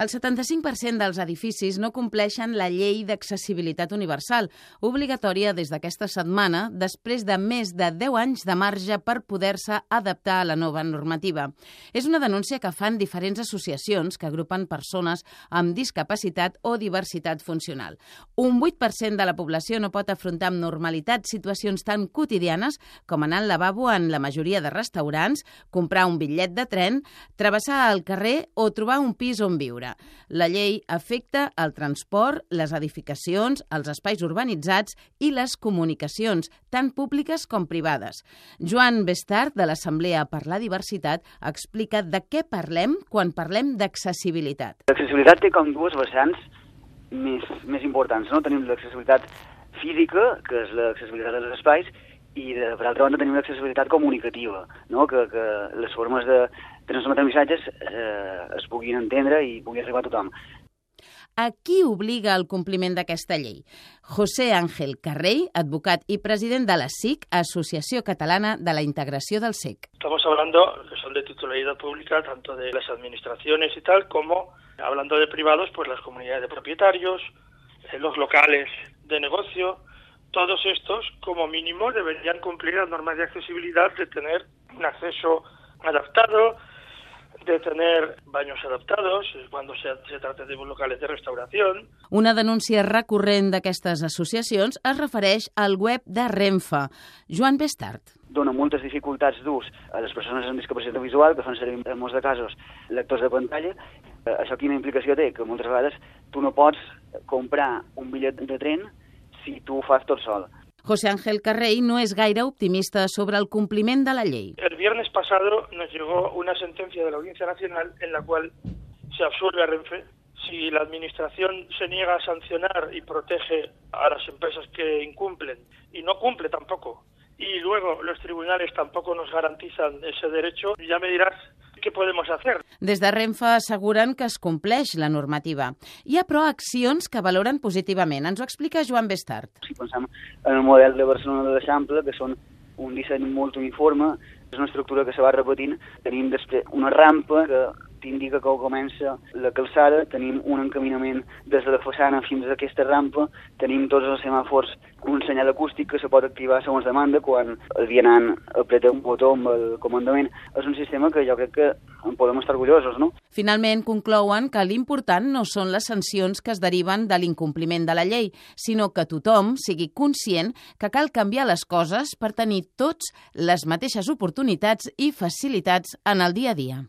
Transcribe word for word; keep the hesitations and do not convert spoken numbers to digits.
El setanta-cinc per cent dels edificis no compleixen la llei d'accessibilitat universal, obligatòria des d'aquesta setmana, després de més de deu anys de marge per poder-se adaptar a la nova normativa. És una denúncia que fan diferents associacions que agrupen persones amb discapacitat o diversitat funcional. Un vuit per cent de la població no pot afrontar amb normalitat situacions tan quotidianes com anar al lavabo en la majoria de restaurants, comprar un bitllet de tren, travessar el carrer o trobar un pis on viure. La llei afecta el transport, les edificacions, els espais urbanitzats i les comunicacions, tant públiques com privades. Joan Bestart, de l'Assemblea per la Diversitat, explica de què parlem quan parlem d'accessibilitat. L'accessibilitat té com dues vessants més, més importants, no? Tenim l'accessibilitat física, que és l'accessibilitat dels espais, i de, per altra banda tenim l'accessibilitat comunicativa, no? que, que les formes de transmetre missatges eh, es puguin entendre i pugui arribar a tothom. A qui obliga el compliment d'aquesta llei? José Ángel Carrey, advocat y president de la S I C, Asociación Catalana de la Integración del S E C. Estamos hablando que son de titularidad pública, tanto de las administraciones y tal, como hablando de privados, pues las comunidades de propietarios, los locales de negocio. Todos estos, como mínimo, deberían cumplir las normas de accesibilidad de tener un acceso adaptado, de tener baños adaptados, cuando se, se trate de locales de restauración. Una denúncia recurrent d'aquestes associacions es refereix al web de Renfe. Joan Bestart. Dona moltes dificultats d'ús a les persones amb discapacitat visual, que fan servir en molts de casos lectors de pantalla. Això quina implicació té? Que moltes vegades tu no pots comprar un bitllet de tren si tu ho fas tot sol. José Ángel Carrey no es gaire optimista sobre el compliment de la ley. El viernes pasado nos llegó una sentencia de la Audiencia Nacional en la cual se absuelve a Renfe. Si la Administración se niega a sancionar y protege a las empresas que incumplen, y no cumple tampoco, y luego los tribunales tampoco nos garantizan ese derecho, ya me dirás què podem fer. Des de Renfe asseguren que es compleix la normativa. Hi ha, però, accions que valoren positivament. Ens ho explica Joan Bestart. Si pensem en el model de Barcelona de l'Eixample, que són un disseny molt uniforme, és una estructura que se va repetint. Tenim després una rampa que t'indica que comença la calçada, tenim un encaminament des de la façana fins a aquesta rampa, tenim tots els semàfors, un senyal acústic que se pot activar segons demanda quan el vianant apreta un botó amb el comandament. És un sistema que jo crec que en podem estar orgullosos, no? Finalment conclouen que l'important no són les sancions que es deriven de l'incompliment de la llei, sinó que tothom sigui conscient que cal canviar les coses per tenir tots les mateixes oportunitats i facilitats en el dia a dia.